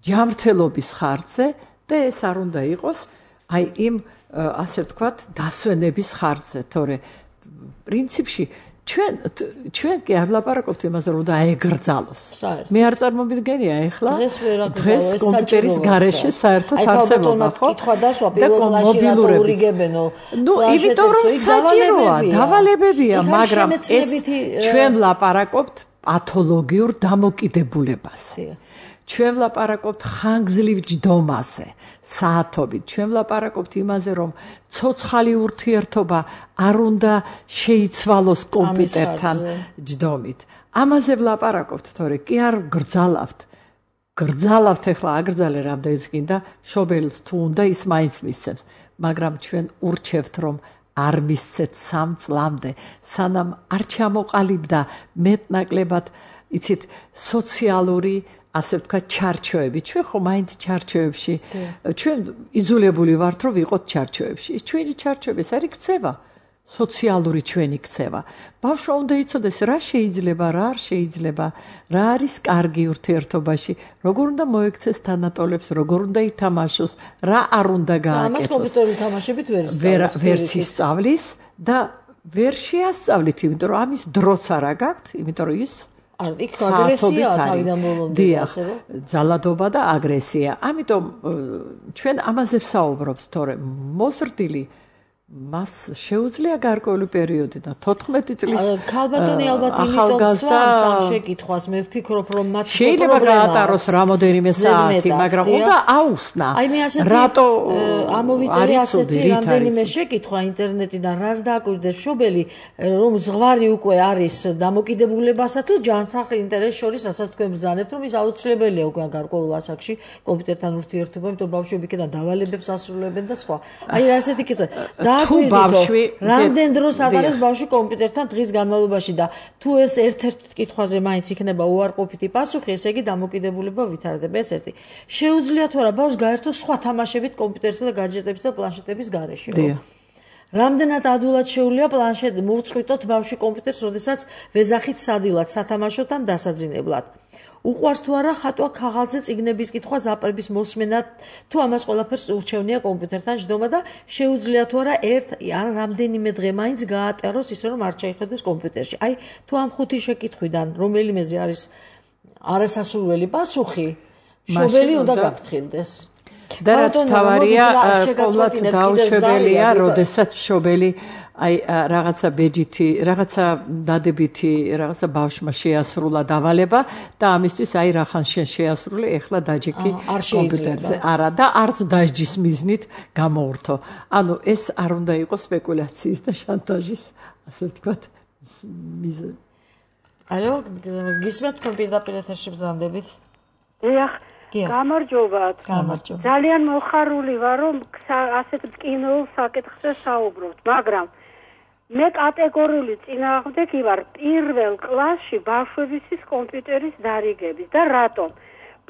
ჯანმრთელობის ხარჯზე და ეს არ უნდა იყოს აი იმ ასე ვთქვათ დასვენების ხარჯზე, თორე პრინციპში ჩვენ ჩვენ კი არ ლაპარაკობთ იმაზე, რომ და აეგრძალოს. მე არ წარმომიდგენია ახლა დღეს კომპიუტერის გარეშე საერთოდ არსებობა, ხო? და მობილურებებენო. ნუ, იმიტომ რომ საჭიროა, დავალებებია, მაგრამ ეს ჩვენ ლაპარაკობთ პათოლოგიურ დამოკიდებულებას. ჩვენ ვლაპარაკობთ ხანგრძლივ ჯდომაზე, საათობით. ჩვენ ვლაპარაკობთ იმაზე, რომ ცოცხალი ურთიერთობა არ უნდა შეიცვალოს კომპიუტერთან ჯდომით. ამაზე ვლაპარაკობთ, თორე კი არ გრძალავთ. გრძალავთ ახლა აგრძალე რამდენიც გინდა, მშობელს თუ უნდა ის მაინც მისცემს, მაგრამ ჩვენ ურჩევთ, რომ არ მისცეთ სამ წლამდე, სანამ არ ჩამოყალიბდა მეტნაკლებად, იცით, სოციალური ასე ვთქვათ, ჩარჩოები. ჩვენ ხო მაინც ჩარჩოებში ჩვენ იძულებული ვართ, რომ ვიყოთ ჩარჩოებში. ის ჩვენი ჩარჩოები ეს არის ქცევა. სოციალური ჩვენი ქცევა. ბავშვმა უნდა იცოდეს რა შეიძლება, რა არ შეიძლება, რა არის კარგი ურთიერთობაში, როგორ უნდა მოექცეს თანატოლებს, როგორ უნდა ითამაშოს, რა არ უნდა გააკეთოს. ამას კომპიუტერული თამაშებით ვერ ისწავლის. ვერ ისწავლის და ვერ შეასწავლით, იმიტომ რომ ამის დროც არ აგაქვთ, იმიტომ რომ ის არ იქ აგრესია თავიდან ბოლომდე, ასე რომ ძალადობა და აგრესია. ამიტომ ჩვენ ამაზე ვსაუბრობთ, თორემ მოზრდილი მას შეუძლია გარკვეული პერიოდი და თოთხმეტი წლის ქალბატონი ალბათ იმიტომ სვამს ამ შეკითხვას მე ვფიქრობ რომ მათ შეიძლება გაატაროს რამოდენიმე საათი მაგრამ უნდა აუხსნა რატო ამოვიწერე ასეთი რამდენიმე შეკითხვა ინტერნეტიდან რას დააკვირდებს შობელი რომ ზღვარი უკვე არის დამოკიდებულებასა თუ ჯანმრთელ ინტერესს შორის რასაც თქვენ ბრძანებთ რომ ის აუცილებელია უკვე გარკვეულ ასაკში კომპიუტერთან ურთიერთობა იმიტომ რომ ბავშვები იქიდან დავალებებს ასრულებენ და სხვა აი ასეთი კითხვა თუ ბავშვი რამდენ დროს ატარებს ბავშვი კომპიუტერთან დღის განმავლობაში და თუ ეს ერთ-ერთ კითხვაზე მაინც იქნება უარყოფითი პასუხი, ესე იგი დამოკიდებულება ვითარდება. ეს ერთი. შეუძლია თუ არა ბავშვს გაერთოს სხვა თამაშებით კომპიუტერსა და гаджеტების და პლანშეტების გარეშე. რამდენად ადვილად შეუძლია პლანშეტ მოუწყვიტოთ ბავშვი კომპიუტერს, როდესაც ვეძახით სადილად სათამაშოთან დასაძინებლად. უყვარს თუ არა ხატვა ქაღალდზე წიგნების კითხვა ზაპრების მოსმენა თუ ამას ყველაფერს ურჩევნია კომპიუტერთან ჯდომა და შეუძლია თუ არა ერთ ან რამდენიმე დღე მაინც გაატაროს ისე რომ არ შეიხედოს კომპიუტერში. აი თუ ამ ხუთი შეკითხვიდან რომელიმეზე არის არასასურველი პასუხი, შობელი უნდა გაფრთხილდეს. და რაც თავარია, ყოველთ დაუშვებელია, როდესაც შობელი აი რაღაცა ბეჯითი, რაღაცა დადებითი, რაღაცა ბავშვმა შეასრულა დავალება და ამისთვის აი რახან შენ შეასრულე, ეხლა დაჯექი კომპიუტერზე. არა და არც დაჯის მიზნით გამოურთო. ანუ ეს არ უნდა იყოს სპეკულაციის და შანტაჟის, ასე ვთქვათ, მიზანი. ალო, გისმენთ კომპიუტერულ ეთერში ბრძანდებით? დიახ. გამარჯობათ. გამარჯობა. ძალიან მოხარული ვარ, რომ ასეთ კინოულ საკითხზე საუბრობთ, მაგრამ მე კატეგორიული წინააღმდეგი ვარ პირველ კლასში ბავშვებისთვის კომპიუტერის დარიგების და რატომ?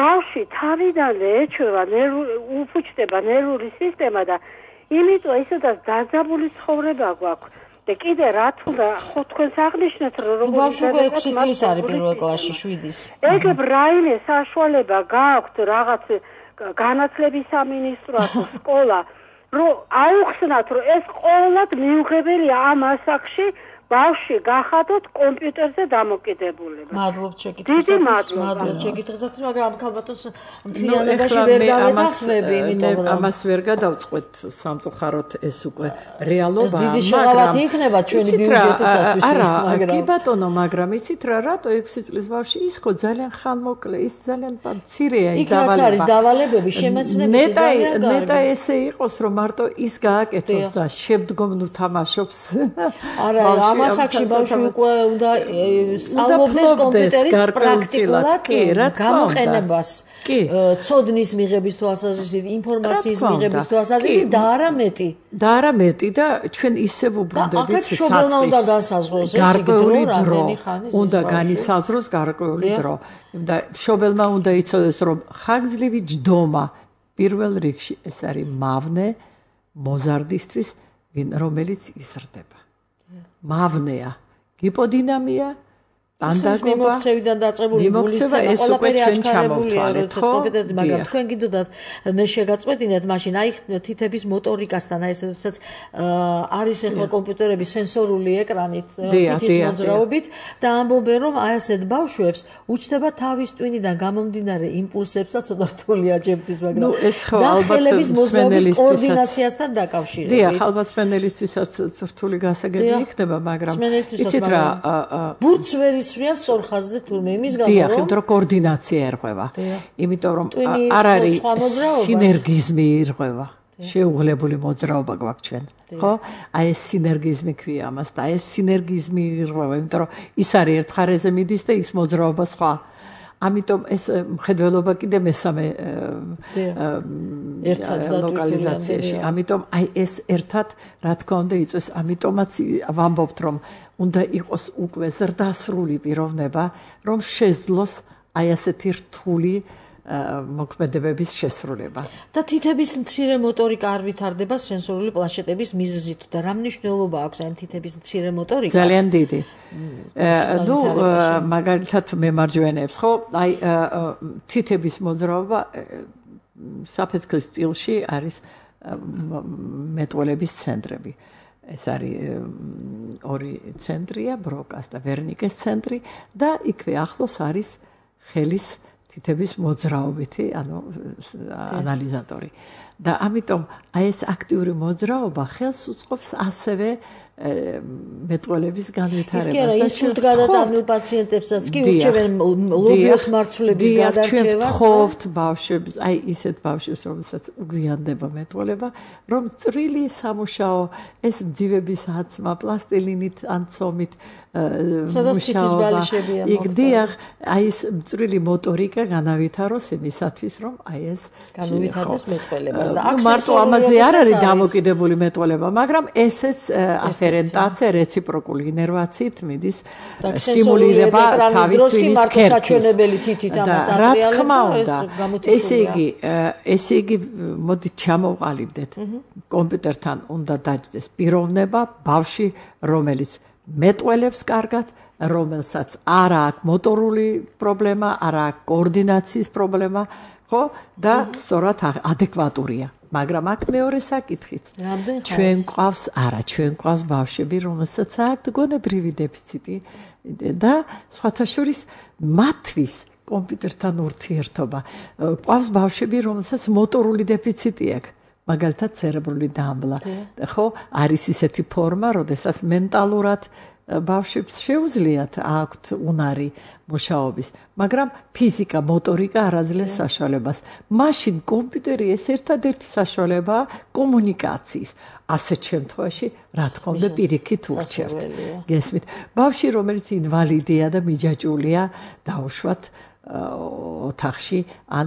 ბავშვი თავიდანვე ეჩვევა, უფუჭდება ნერვული სისტემა და იმიტომ ისედაც დაძაბული ცხოვრება გვაქვს. და კიდე რა თუნდა ხო თქვენს აღნიშნეთ რომ ბავშვი ექვსი წლის არის პირველ კლასში, შვიდის. ეგებ რაიმე საშუალება გააქვთ რაღაც განათლების სამინისტროს სკოლა რომ აუხსნათ რომ ეს ყოველად მიუღებელია ამ ასაკში ბავშვი გახადოთ კომპიუტერზე დამოკიდებულება. მადლობთ შეკითხვისათვის. მადლობთ შეკითხვისათვის, მაგრამ ამ ქალბატონს მთლიანობაში ვერ დავეთანხმები, იმიტომ რომ ამას ვერ გადავწყვეტ სამწუხაროდ ეს უკვე რეალობაა, მაგრამ დიდი შეღავათი იქნება ჩვენი ბიუჯეტისათვის. არა, კი ბატონო, მაგრამ იცით რა, რატო ექვსი წლის ბავშვი ის ხო ძალიან ხანმოკლე, ის ძალიან მცირეა ის დავალება. იქ არის დავალებები, შემეცნებითი ძალიან კარგი. ნეტა ესე იყოს რომ მარტო ის გააკეთოს და შემდგომ ნუ თამაშობს. არა, ასაკში ბავშვი უკვე უნდა სწავლობდეს კომპიუტერის პრაქტიკულად გამოყენებას. ცოდნის მიღების თვალსაზრისით, ინფორმაციის მიღების თვალსაზრისით და არა მეტი. და არა მეტი და ჩვენ ისევ უბრუნდებით საწყის გარკვეული დრო. უნდა განისაზღვროს გარკვეული დრო. და მშობელმა უნდა იცოდეს რომ ხანგრძლივი ჯდომა პირველ რიგში ეს არის მავნე მოზარდისთვის, რომელიც იზრდება. მავნეა, გიპოდინამია, ტანდაგობა, მიმოქცევიდან დაწყებული გულისცემა, ყველაფერი აჩქარებულია, როდესაც კომპიუტერზე, მაგრამ თქვენ გინდოდათ მე შეგაწყვეტინეთ, მაშინ აი თითების მოტორიკასთან, აი ესეცაც არის ახლა კომპიუტერები სენსორული ეკრანით, თითის მოძრაობით და ამბობენ, რომ აი ასეთ ბავშვებს უჩნდება თავის ტვინიდან გამომდინარე იმპულსებსა ცოტა რთული აჯებდეს, მაგრამ დახელების მოძრაობის კოორდინაციასთან დაკავშირებით. დიახ, ალბათ სპენელისთვისაც რთული გასაგები იქნება, მაგრამ იცით რა, ბურთს ვერ ისვრია სწორ ხაზზე თურმე იმის გამო რომ დიახ, იმიტომ რომ კოორდინაცია ერღვევა. იმიტომ რომ არ არის სინერგიზმი ერღვევა. შეუღლებული მოძრაობა გვაქვს ჩვენ. ხო? აი ეს სინერგიზმი ქვია ამას და ეს სინერგიზმი ერღვევა, იმიტომ რომ ის არის ერთ ხარეზე მიდის და ის მოძრაობა სხვა. ამიტომ ეს მხედველობა კიდე მესამე ერთად ლოკალიზაციაში. ამიტომ აი ეს ერთად რა თქმა უნდა იწვევს, ამიტომაც ვამბობთ რომ უნდა იყოს უკვე ზრდასრული პიროვნება, რომ შეძლოს აი ასეთი რთული მოქმედებების შესრულება. და თითების მცირე მოტორიკა არ ვითარდება სენსორული პლანშეტების მიზეზით და რა მნიშვნელობა აქვს ამ თითების მცირე მოტორიკას? ძალიან დიდი. ნუ მაგალითად მემარჯვენეებს, ხო? აი თითების მოძრაობა საფეცქრის სტილში არის მეტყველების ცენტრები. ეს არის ორი ცენტრია, ბროკას და ვერნიკეს ცენტრი და იქვე ახლოს არის ხელის თითების მოძრაობითი, ანუ ანალიზატორი. და ამიტომ აი ეს აქტიური მოძრაობა ხელს უწყობს ასევე მეტყველების განვითარებას. ის კი არა, ის სულ გადატანილ პაციენტებსაც კი ურჩევენ ლობიოს მარცვლების გადარჩევას. ხოვთ ბავშვებს, აი ისეთ ბავშვებს, რომელსაც გვიანდება მეტყველება, რომ წვრილი სამუშაო, ეს მძივების აცმა, პლასტილინით ან ცომით მუშაობა. იქ დიახ, აი ეს წვრილი მოტორიკა განავითაროს იმისათვის, რომ აი ეს განუვითარდეს მეტყველებას და აქ მარტო ამაზე არ არის დამოკიდებული მეტყველება, მაგრამ ესეც აფერენტაცია რეციპროკული ინერვაციით მიდის სტიმულირება თავის თვითის საჩვენებელი თითით ამას ატრიალებს. ესე იგი, ესე იგი მოდით ჩამოვყალიბდეთ. კომპიუტერთან უნდა დაჯდეს პიროვნება, ბავშვი, რომელიც მეტყველებს კარგად, რომელსაც არ აქვს მოტორული პრობლემა, არ აქვს კოორდინაციის პრობლემა, ხო? და სწორად ადეკვატურია. მაგრამ აქ მეორე საკითხიც. ჩვენ გვყავს, არა, ჩვენ გვყავს ბავშვები, რომელსაც აქვთ გონებრივი დეფიციტი და სხვათა შორის მათთვის კომპიუტერთან ურთიერთობა. გვყავს ბავშვები, რომელსაც მოტორული დეფიციტი აქვს. მაგალითად ცერებრული დამბლა. ხო, არის ისეთი ფორმა, როდესაც მენტალურად ბავშვებს შეუძლიათ აქვთ უნარი მუშაობის, მაგრამ ფიზიკა, მოტორიკა არ აძლევს საშუალებას. მაშინ კომპიუტერი ეს ერთადერთი საშუალებაა კომუნიკაციის. ასეთ შემთხვევაში, რა თქმა უნდა, პირიქით ურჩევთ. გესმით? ბავშვი, რომელიც ინვალიდია და მიჯაჭვულია, დაუშვათ ოთახში ან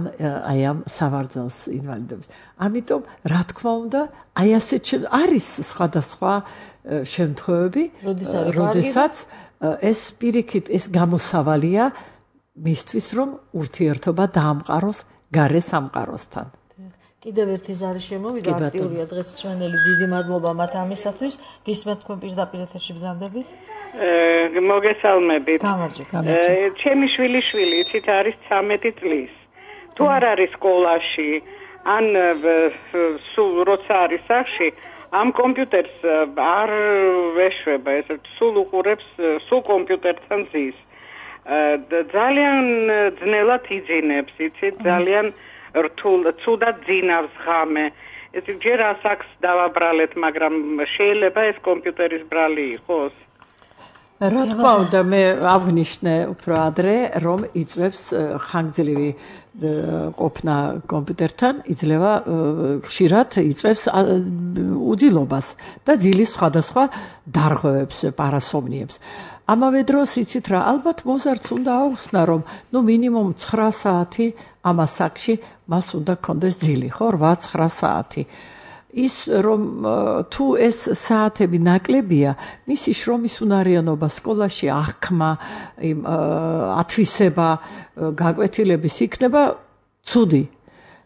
აი ამ სავარძელს ინვალიდობის. ამიტომ, რა თქმა უნდა, აი ასეთ არის სხვადასხვა შემთხვევები, როდესაც ეს პირიქით ეს გამოსავალია მისთვის, რომ ურთიერთობა დაამყაროს გარე სამყაროსთან. კიდევ ერთი ზარი შემოვიდა, აქტიურია დღეს მსმენელი, დიდი მადლობა მათ ამისათვის. გისმენთ თქვენ პირდაპირ ეთერში ბრძანდებით? მოგესალმებით. გამარჯობა. ჩემი შვილიშვილი იცით არის ცამეტი წლის. თუ არ არის სკოლაში, ან სულ როცა არის სახში, ამ კომპიუტერს არ ეშვება, ეს სულ უყურებს, სულ კომპიუტერთან ზის. ძალიან ძნელად იძინებს, იცით, ძალიან რთულ, ცუდად ძინავს ღამე. ეს ჯერ ასაკს დავაბრალეთ, მაგრამ შეიძლება ეს კომპიუტერის ბრალი იყოს? რა თქმა უნდა, მე აღნიშნე უფრო ადრე, რომ იწვევს ხანგრძლივი ყოფნა კომპიუტერთან, იძლევა ხშირად იწვევს უძილობას და ძილის სხვადასხვა დარღვევებს, პარასომნიებს. ამავე დროს იცით რა, ალბათ მოზარდს უნდა აუხსნა, რომ ნუ მინიმუმ ცხრა საათი ამ ასაკში მას უნდა ქონდეს ძილი, ხო, რვა ცხრა საათი. ის რომ თუ ეს საათები ნაკლებია, მისი შრომის უნარიანობა სკოლაში აღქმა, იმ ათვისება, გაკვეთილების იქნება ცუდი.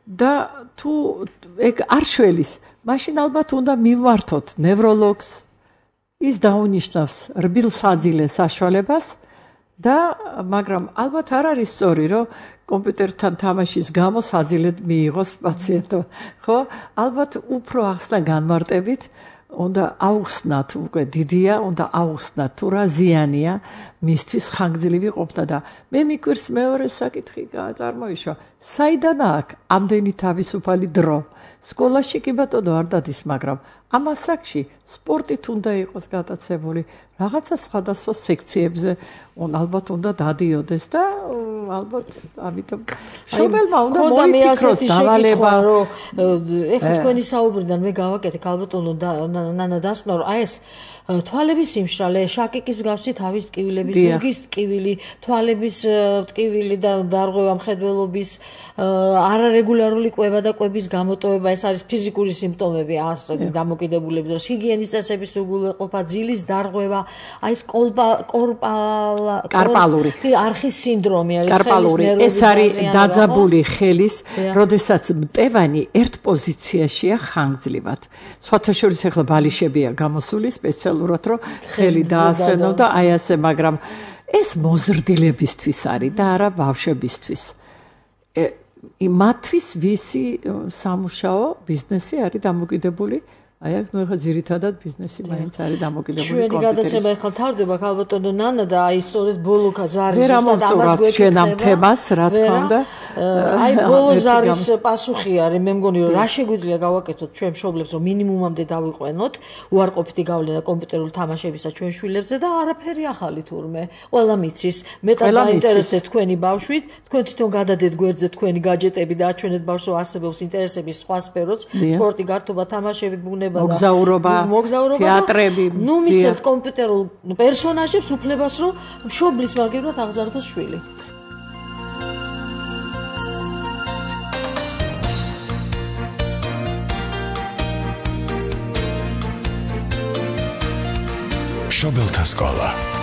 და თუ ეგ არ შველის, მაშინ ალბათ უნდა მივმართოთ ნევროლოგს, ის დაუნიშნავს რბილსაძილე საშუალებას და მაგრამ ალბათ არ არის სწორი, რომ კომპიუტერთან თამაშის გამო საძილედ მიიღოს პაციენტო, ხო? ალბათ უფრო ახსნა განმარტებით, უნდა აუხსნათ, უკვე დიდია, უნდა აუხსნათ თუ რა ზიანია მისთვის ხანგრძლივი ყოფნა და მე მიკვირს მეორე საკითხი წარმოიშვა. საიდან აქვს ამდენი თავისუფალი დრო? სკოლაში კი ბატონო არ დადის, მაგრამ ამ ასაკში სპორტით უნდა იყოს გატაცებული, რაღაცა სხვადასხვა სექციებზე ალბათ უნდა დადიოდეს და ალბათ ამიტომ შობელმა უნდა მოიფიქროს დავალება, რომ ეხლა თქვენი საუბრიდან მე გავაკეთე ალბათ ნანა დასკვნო, რომ აი ეს თვალების სიმშრალე, შაკიკის მსგავსი თავის ტკივილების, ზურგის ტკივილი, თვალების ტკივილი და დარღვევა, მხედველობის, არარეგულარული კვება და კვების გამოტოვება, ეს არის ფიზიკური სიმპტომები, ასეთი დამოკიდებულების დროს, ჰიგიენის წესების უგულვეყოფა, ძილის დარღვევა, აი ეს კარპალური არხის სინდრომი არის, კარპალური, ეს არის დაძაბული ხელის, როდესაც მტევანი ერთ პოზიციაშია ხანგრძლივად. სხვათა შორის ახლა ბალიშებია გამოსული სპეციალურად, რომ ხელი დაასვენო და აი ასე, მაგრამ ეს მოზრდილებისთვის არის და არა ბავშვებისთვის. მათთვის ვისი სამუშაო ბიზნესი არის დამოკიდებული აი აქ ნუ ახლა ძირითადად ბიზნესი მაინც არის დამოკიდებული კომპიუტერის. ჩვენი გადაცემა ახლა თავდება ქალბატონო ნანა და აი სწორედ ბოლო ზარის ვერ ამოვწურავთ ჩვენ ამ თემას, რა თქმა უნდა. აი ბოლო ზარის პასუხი არის, მე მგონი რომ რა შეგვიძლია გავაკეთოთ ჩვენ მშობლებს, რომ მინიმუმამდე დავიყვენოთ უარყოფითი გავლენა კომპიუტერული თამაშებისა ჩვენ შვილებზე და არაფერი ახალი თურმე. ყველა მიცის, მეტად დაინტერესდეთ თქვენი ბავშვით, თქვენ თვითონ გადადეთ გვერდზე თქვენი გაჯეტები და აჩვენეთ ბავშვს რომ არსებობს ინტერესების სხვა სფეროც, სპორტი, გართობა, თამაშები, ბუნება, მოგზაურობა, თეატრები. ნუ მისცემთ კომპიუტერულ პერსონაჟებს უფლებას, რომ მშობლის მაგივრად აღზარდოს შვილი. მშობელთა სკოლა.